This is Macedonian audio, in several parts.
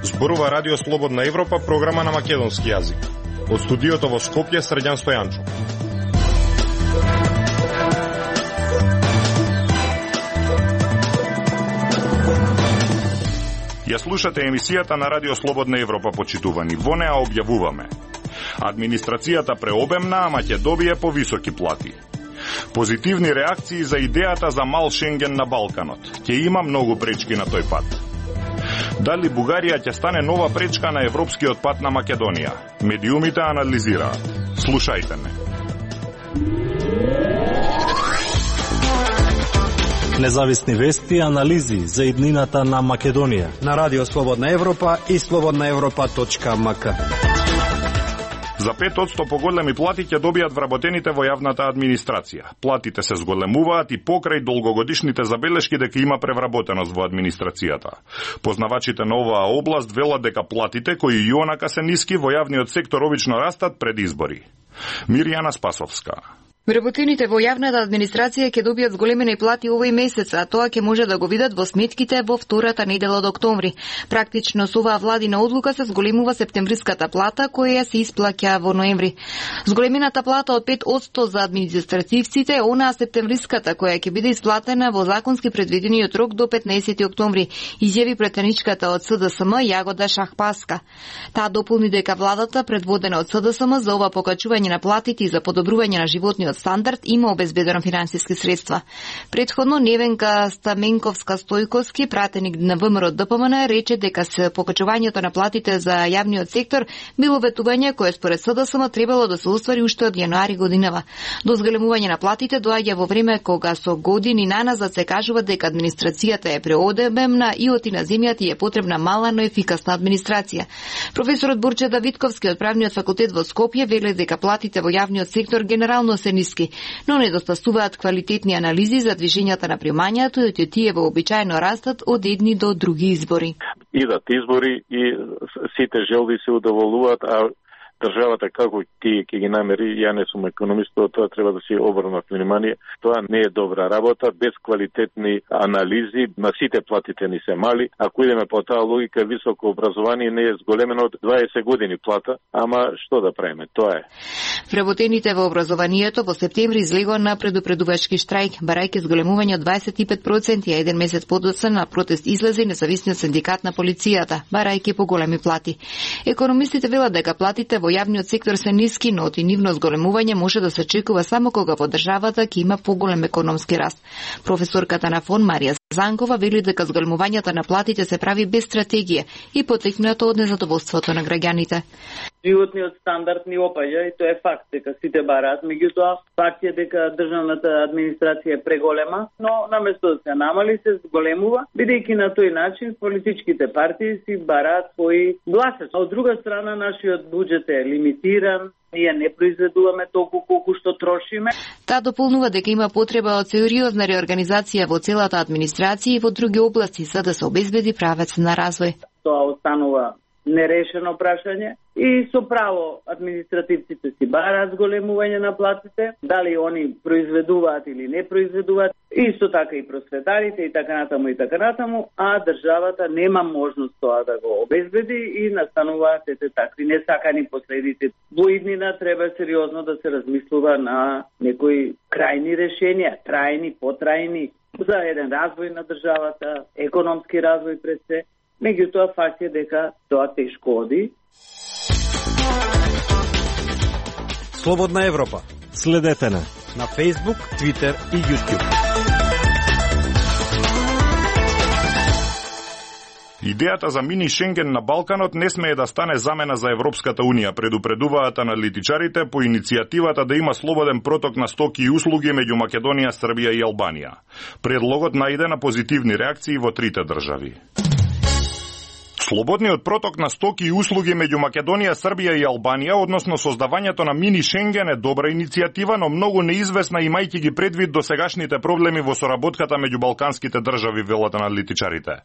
Зборува Радио Слободна Европа, програма на македонски јазик. Од студиото во Скопје, Средјан Стојанчо. Ја слушате емисијата на Радио Слободна Европа, почитувани. Во неа објавуваме: администрацијата преобемна, ама ќе добие повисоки плати. Позитивни реакции за идејата за мал Шенген на Балканот. Ќе има многу пречки на тој пат. Дали Бугарија ќе стане нова пречка на европскиот пат на Македонија? Медиумите анализираат. Слушајте ме. Независни вести и анализи за иднината на Македонија на Радио Слободна Европа и slobodnaevropa.mk. За 5% поголеми плати ќе добијат вработените во јавната администрација. Платите се зголемуваат и покрај долгогодишните забелешки дека има превработеност во администрацијата. Познавачите на оваа област велат дека платите, кои и онака се ниски, во јавниот сектор обично растат пред избори. Мирјана Спасовска. Вработените во јавната администрација ќе добијат зголемени плати овој месец, а тоа ќе може да го видат во сметките во втората недела од октомври. Практично со оваа владина одлука се зголемува септемвриската плата, која се исплаќа во ноември. Зголемената плата од 5% за административците е онаа септемвриската, која ќе биде исплатена во законски предвидениот рок до 15 октомври, изјави претеничката од СДСМ Јагода Шахпаска. Таа дополни дека владата, предводена од СДСМ, за ова покачување на платите и за подобрување на животниот стандард има обезбедено финансиски средства. Предходно Невенка Стаменковска-Стојковски, пратеник на ВМРО ДПМН, рече дека се покачувањето на платите за јавниот сектор било ветување кое според СДСМ требало да се оствари уште од јануари годинава. До зголемување на платите доаѓа во време кога со години наназад се кажува дека администрацијата е преобемна и оти на земјата е потребна мала, но ефикасна администрација. Професорот Бурче Давидковски од Правниот факултет во Скопје вели дека платите во јавниот сектор генерално се ниски, но недостасуваат квалитетни анализи за движењата на примањето и тие вообичаено растат од едни до други избори. Идат избори и сите желби се удоволуваат, а државата како ќе ги намери, ја не сум економист, тоа треба да се обрнат внимание. Тоа не е добра работа, без квалитетни анализи, на сите платите ни се мали. Ако идеме по таа логика, високо образование не е зголемено од 20 години плата, ама што да правиме, тоа е. Вработените во образованието во септември излегоа на предупредувачки штрајк, барајќи зголемување од 25%, а еден месец подоцна на протест излезе независниот синдикат на полицијата, барајќи поголеми плати. Економистите велат дека платите во јавниот сектор се ниски, но оти нивно зголемување може да се очекува само кога во државата ќе има поголем економски раст. Професорката на ФОН Марија Занкова вели дека зголемувањето на платите се прави без стратегија и потикнато од незадоволството на граѓаните. Животниот стандард ни опаѓа и тоа е факт дека сите бараат, меѓутоа факт е дека државната администрација е преголема, но наместо да се намали се зголемува, бидејќи на тој начин политичките партии си бараат своји гласачи. Од друга страна, нашиот буџет е лимитиран, ние не произведуваме толку колку што трошиме. Таа дополнува дека има потреба од сериозна реорганизација во целата администрација и во други области за да се обезбеди правец на развој. Тоа останува нерешено прашање и со право административците си бараат зголемување на платите, дали они произведуваат или не произведуваат, исто така и просветарите и така натаму, а државата нема можност тоа да го обезбеди и настануваат ете такви несакани последици. Во иднина треба сериозно да се размислува на некои крајни решенија, трајни, потрајни, за еден развој на државата, економски развој пред се. Меѓутоа, факт е дека тоа тешко оди. Слободна Европа. Следете на Facebook, Twitter и YouTube. Идејата за мини Шенген на Балканот не смее да стане замена за Европската Унија, предупредуваат аналитичарите по иницијативата да има слободен проток на стоки и услуги меѓу Македонија, Србија и Албанија. Предлогот најде на позитивни реакции во трите држави. Слободниот проток на стоки и услуги меѓу Македонија, Србија и Албанија, односно создавањето на мини Шенген е добра иницијатива, но многу неизвестна имајќи ги предвид досегашните проблеми во соработката меѓу балканските држави, велат аналитичарите.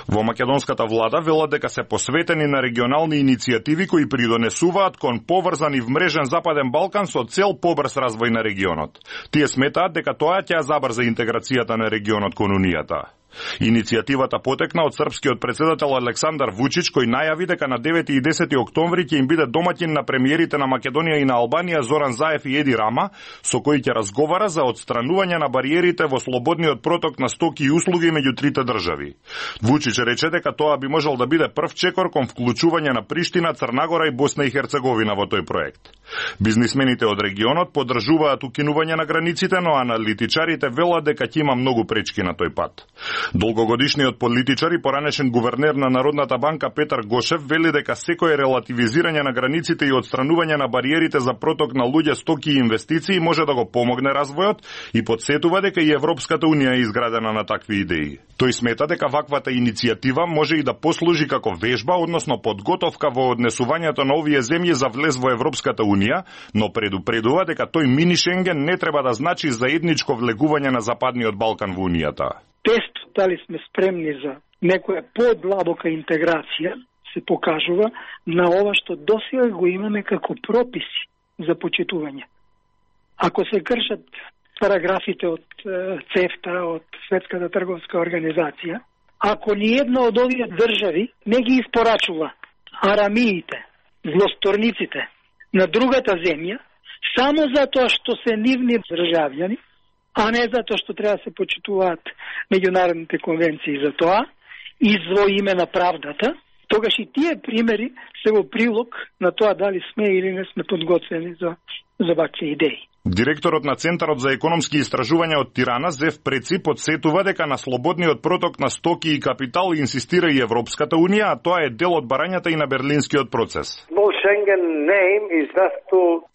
Во македонската влада велат дека се посветени на регионални иницијативи кои придонесуваат кон поврзан и вмрежен Западен Балкан со цел побрз развој на регионот. Тие сметаат дека тоа ќе забрза интеграцијата на регионот кон Унијата. Иницијативата потекна од српскиот председател Александар Вучич, кој најави дека на 9 и 10 октомври ќе им биде домаќин на премиерите на Македонија и на Албанија Зоран Заев и Еди Рама, со кои ќе разговара за отстранување на бариерите во слободниот проток на стоки и услуги меѓу трите држави. Вучич рече дека тоа би можел да биде прв чекор кон вклучување на Приштина, Црнагора и Босна и Херцеговина во тој проект. Бизнисмените од регионот поддржуваат укинување на границите, но аналитичарите велат дека ќе има многу пречки на тој пат. Долгогодишниот политичар и поранешен гувернер на Народната банка Петар Гошев вели дека секое релативизирање на границите и отстранување на бариерите за проток на луѓе, стоки и инвестиции може да го помогне развојот и подсетува дека и Европската унија е изградена на такви идеи. Тој смета дека ваквата иницијатива може и да послужи како вежба, односно подготовка во однесувањето на овие земји за влез во Европската унија, но предупредува дека тој мини Шенген не треба да значи заедничко влегување на Западниот Балкан во унијата. Тест дали сме спремни за некоја подлабока интеграција се покажува на ова што досега го имаме како прописи за почитување. Ако се кршат параграфите од ЦЕФТА, од Светската трговска организација, ако ни една од овие држави не ги испорачува арамиите, злосторниците на другата земја, само затоа што се нивни државјани, а не затоа што треба да се почитуваат меѓународните конвенции за тоа, и во име на правдата, тогаш и тие примери се во прилог на тоа дали сме или не сме подготвени за вакви идеи. Директорот на Центарот за економски истражувања од Тирана, Зев Преци, подсетува дека на слободниот проток на стоки и капитал инсистира и Европската унија, а тоа е дел од барањата и на берлинскиот процес.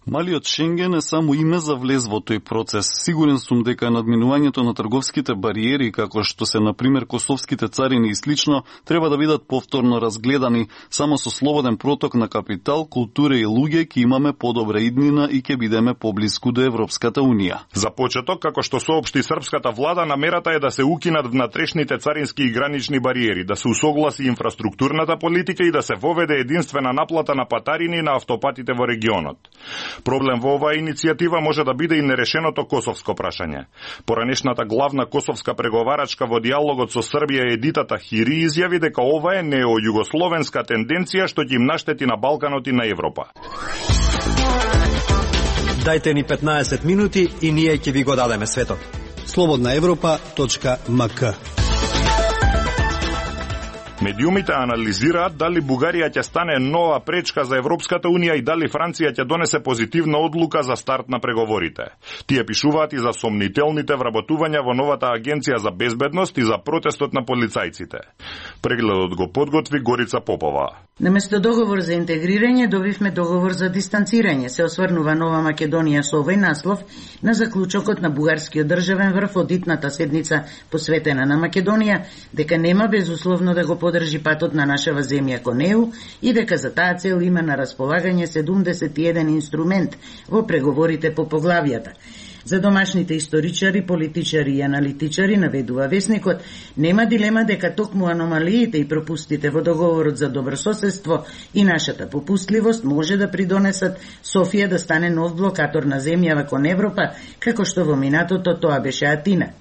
Малиот Шенген е само име за влез во тој процес. Сигурен сум дека надминувањето на трговските бариери, како што се например косовските царини и слично, треба да бидат повторно разгледани. Само со слободен проток на капитал, култура и луѓе ќе имаме подобра иднина и ќе бидеме поблиску до Европската унија. За почеток, како што соопшти српската влада, намерата е да се укинат внатрешните царински и гранични бариери, да се усогласи инфраструктурната политика и да се воведе единствена наплата на патарини на автопатите во регионот. Проблем во оваа иницијатива може да биде и нерешеното косовско прашање. Поранешната главна косовска преговарачка во диалогот со Србија Едита Тахири изјави дека ова е неојугословенска тенденција што ќе им наштети на Балканот и на Европа. Дајте ни 15 минути и ние ќе ви го дадеме светот. slobodnaevropa.mk. Медиумите анализираат дали Бугарија ќе стане нова пречка за Европската унија и дали Франција ќе донесе позитивна одлука за старт на преговорите. Тие пишуваат и за сомнителните вработувања во новата агенција за безбедност и за протестот на полицајците. Прегледот го подготви Горица Попова. Наместо договор за интегрирање, добивме договор за дистанцирање, се осврнува Нова Македонија со овој наслов на заклучокот на бугарскиот државен врв од итната седница посветена на Македонија, дека нема безусловно да го подржи патот на нашава земја кон ЕУ и дека за таа цел има на располагање 71 инструмент во преговорите по поглавјата. За домашните историчари, политичари и аналитичари, наведува весникот, нема дилема дека токму аномалиите и пропустите во договорот за добрососедство и нашата попустливост може да придонесат Софија да стане нов блокатор на земјава кон Европа, како што во минатото тоа беше Атина.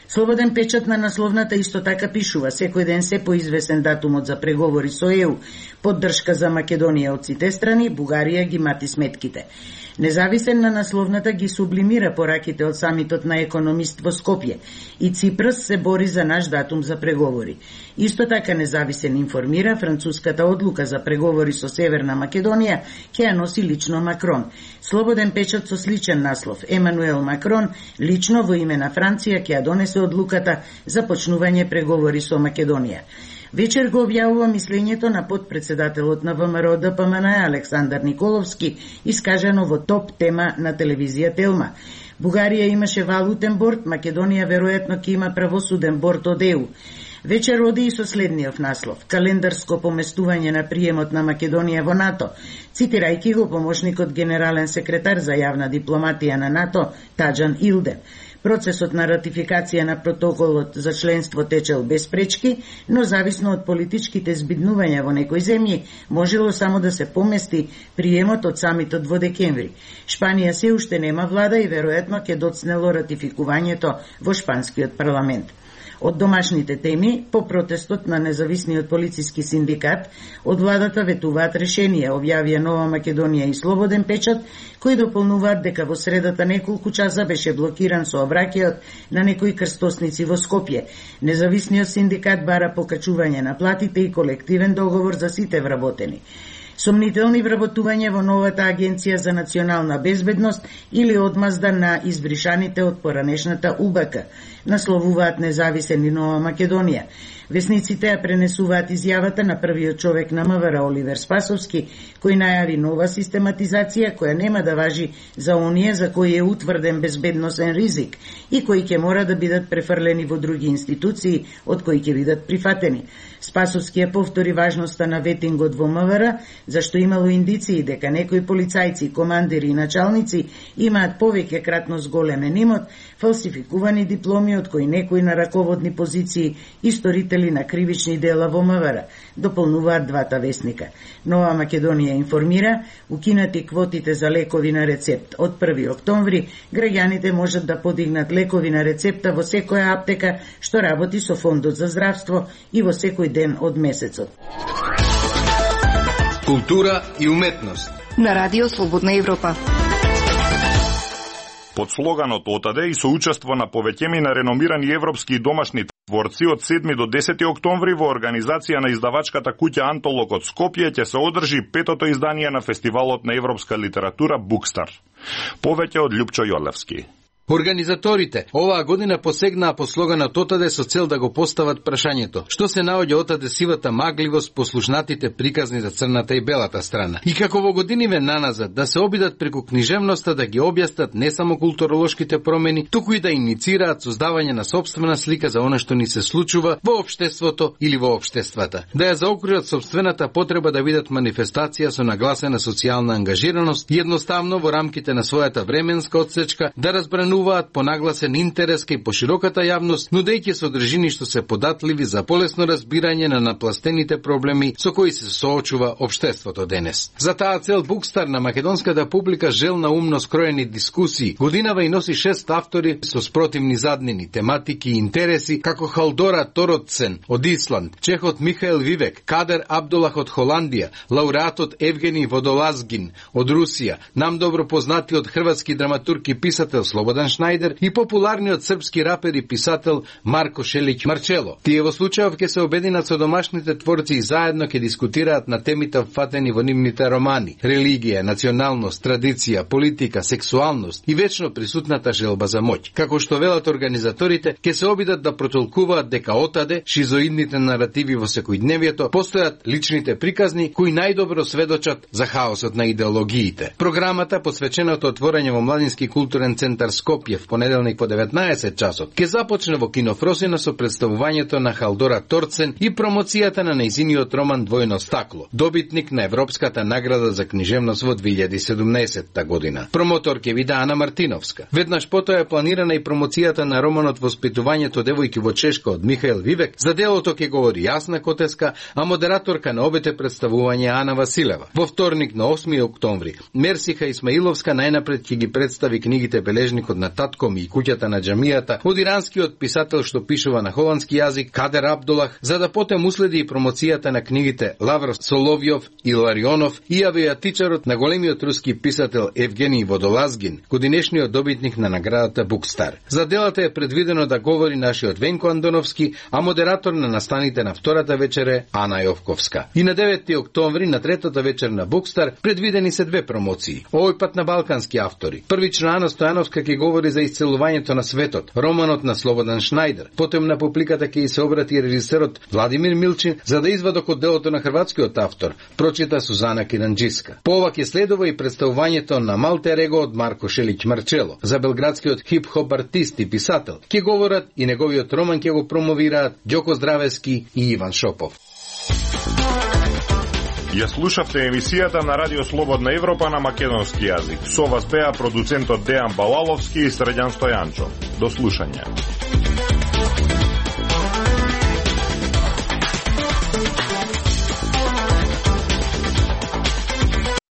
Слободен печат на насловната исто така пишува: секој ден се поизвесен датумот за преговори со ЕУ, поддршка за Македонија од сите страни, Бугарија ги мати сметките. Независен на насловната ги сублимира пораките од самитот на економист во Скопје и Ципрас се бори за наш датум за преговори. Исто така независен информира француската одлука за преговори со Северна Македонија ќе ја носи лично Макрон. Слободен печат со сличен наслов: Емануел Макрон лично во име на Франција ќе ја донесе одлуката за почнување преговори со Македонија. Вечер го објавува мислењето на подпредседателот на ВМРО ДПМН Александар Николовски, искажано во топ тема на телевизија Телма. Бугарија имаше валутен борд, Македонија веројатно ќе има правосуден борд од ЕУ. Вечер оди и со следниот наслов: календарско поместување на приемот на Македонија во НАТО, цитирајќи го помошникот генерален секретар за јавна дипломатија на НАТО Таџан Илден. Процесот на ратификација на протоколот за членство течел без пречки, но зависно од политичките збиднувања во некои земји, можело само да се помести приемот од самитот во декември. Шпанија се уште нема влада и веројатно ќе доцнело ратификувањето во шпанскиот парламент. Од домашните теми, по протестот на независниот полициски синдикат, од владата ветуваат решенија, објавија Нова Македонија и Слободен печат, кои дополнуваат дека во средата неколку часа беше блокиран сообраќајот на некои крстосници во Скопје. Независниот синдикат бара покачување на платите и колективен договор за сите вработени. Сомнителни вработување во новата Агенција за национална безбедност или одмазда на избришаните од поранешната УБК, насловуваат Независен и Нова Македонија. Весниците ја пренесуваат изјавата на првиот човек на МВР Оливер Спасовски, кој најави нова систематизација која нема да важи за оние за кои е утврден безбедносен ризик и кои ќе мора да бидат префрлени во други институции од кои ќе бидат прифатени. Спасовски ја повтори важноста на ветингот во МВР, зашто имало индиции дека некои полицајци, командири и началници имаат повеќе кратно зголемен имот, фалсификувани дипломи од кои некои на раководни позиции и сторители на кривични дела во МВР, дополнуваат двата весника. Нова Македонија информира, укинати квотите за лекови на рецепт. Од 1 октомври граѓаните можат да подигнат лекови на рецепта во секоја аптека што работи со Фондот за здравство и во секој ден од месецот. Култура и уметност на Радио Слободна Европа. Под слоганот "Отаде" и со учество на повеќеми на реномирани европски и домашни творци од 7 до 10 октомври во организација на издавачката куќа Антолог од Скопје ќе се одржи 5-то издание на фестивалот на европска литература Букстар. Повеќе од Љупчо Јолевски. Организаторите оваа година посегнаа по слоганот "Отаде" со цел да го постават прашањето: што се наоѓа отаде сивата магливост, послушнатите приказни за црната и белата страна? И како во годиниве наназад да се обидат преку книжевноста да ги објаснат не само културолошките промени, туку и да иницираат создавање на сопствена слика за она што ни се случува во општеството или во општествата. Да ја заокружат сопствената потреба да видат манифестација со нагласена социјална ангажираност, едноставно во рамките на својата временска одсечка да разбрануваат по нагласен интерес кај пошироката јавност, нудејќи содржини што се податливи за полесно разбирање на напластените проблеми со кои се соочува општеството денес. За таа цел Букстар на македонската публика желна умно скроени дискусии. Годинава и носи 6 автори со спротивни заднини, тематики и интереси, како Халдора Торотсен од Исланд, чехот Михаел Вивек, Кадер Абдулах од Холандија, лауреатот Евгени Водолазгин од Русија, нам добро познатиот хрватски драматург и писател Слободан Шнајдер и популарниот српски рапер и писател Марко Шелиќ Марчело. Тие во случајов ќе се обединат со домашните творци и заедно ќе дискутираат на темите вфатени во нивните романи: религија, националност, традиција, политика, сексуалност и вечно присутната желба за моќ. Како што велат организаторите, ќе се обидат да протолкуваат дека отаде шизоидните наративи во секојдневието постојат личните приказни кои најдобро сведочат за хаосот на идеологиите. Програмата, посвечената отворање во Младински културен центар Скопје в понеделник во 19 часот, ќе започне во кино Фросина со представувањето на Халдора Торцен и промоцијата на нејзиниот роман Двојно стакло, добитник на Европската награда за книжевност во 2017 година. Промотор ќе биде Ана Мартиновска. Веднаш потоа е планирана и промоцијата на романот Воспитувањето девојки во Чешка од Михаел Вивек. За делото ќе говори Јасна Котеска, а модераторка на обете представување Ана Василева. Во вторник на 8 октомври Мерсиха Исмаиловска најнапред ќе ги представи книгите Бележникот на татко ми и куќата на џамијата од иранскиот писател што пишува на холандски јазик Кадер Абдулах, за да потем уследи и промоцијата на книгите Лавр Соловјов и Ларионов и авиатичарот на големиот руски писател Евгений Водолазгин, годинешниот добитник на наградата Букстар. За делата е предвидено да говори нашиот Венко Андоновски, а модератор на настаните на втората вечер е Ана Јовковска. И на 9 октомври на третата вечер на Букстар предвидени се две промоции. Овој пат на балкански автори. Првично Ана Стојановска ќе говори говори за исцелувањето на светот, романот на Слободан Шнајдер. Потом на публиката ќе се обрати режисерот Владимир Милчин за да извадок од делото на хрватскиот автор, прочита Сузана Киранџиска. По ова ќе следува и представувањето на Малтер Его од Марко Шелиќ Марчело. За белградскиот хип-хоп артист и писател ќе говорат и неговиот роман ќе го промовираат Ѓоко Здравески и Иван Шопов. Ја слушавте емисијата на Радио Слободна Европа на македонски јазик. Со вас беа продуцентот Дејан Балаловски и Средјан Стојанчо. До слушање.